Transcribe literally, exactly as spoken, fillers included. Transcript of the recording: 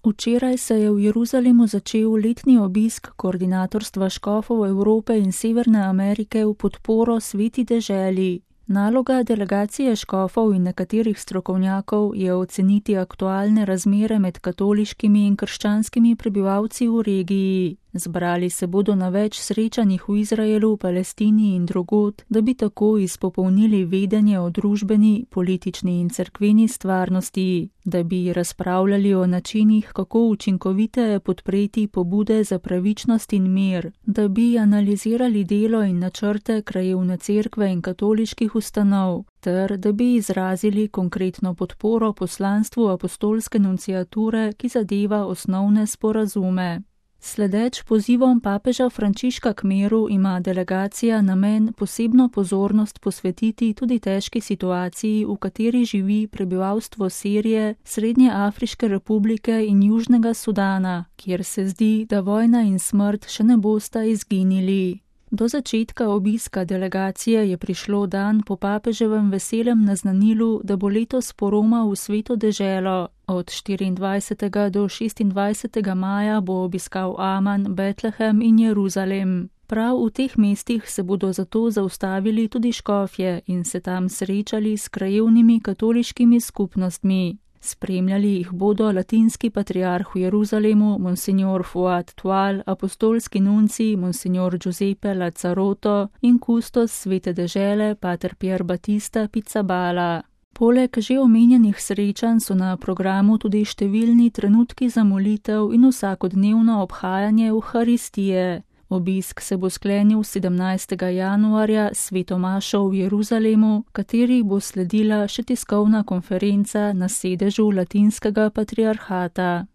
Včeraj se je v Jeruzalemu začel letni obisk koordinatorstva škofov Evrope in Severne Amerike v podporo Sveti deželi. Naloga delegacije škofov in nekaterih strokovnjakov je oceniti aktualne razmere med katoliškimi in krščanskimi prebivalci v regiji. Zbrali se bodo na več srečanjih v Izraelu, Palestini in drugod, da bi tako izpopolnili vedenje o družbeni, politični in cerkveni stvarnosti, da bi razpravljali o načinih, kako učinkoviteje podpreti pobude za pravičnost in mir, da bi analizirali delo in načrte krajevne cerkve in katoliških ustanov, ter da bi izrazili konkretno podporo poslanstvu apostolske nunciature, ki zadeva osnovne sporazume. Sledeč pozivom papeža Frančiška k miru ima delegacija namen posebno pozornost posvetiti tudi težki situaciji, v kateri živi prebivalstvo Sirije, Srednje Afriške republike in Južnega Sudana, kjer se zdi, da vojna in smrt še ne bosta izginili. Do začetka obiska delegacije je prišlo dan po papeževem veselem naznanilu, da bo letos poromal v Sveto deželo. Od štiriindvajsetega do šestindvajsetega maja bo obiskal Aman, Betlehem in Jeruzalem. Prav v teh mestih se bodo zato zaustavili tudi škofje in se tam srečali s krajevnimi katoliškimi skupnostmi. Spremljali jih bodo latinski patriarh v Jeruzalemu, monsignor Fuad Tual, apostolski nunci, monsignor Giuseppe Lazzaroto in kustos Svete dežele, pater Pier Battista Pizzabala. Poleg že omenjenih srečanj so na programu tudi številni trenutki za molitev in vsakodnevno obhajanje Evharistije. Obisk se bo sklenil sedemnajstega januarja s sveto mašo v Jeruzalemu, kateri bo sledila še tiskovna konferenca na sedežu latinskega patriarhata.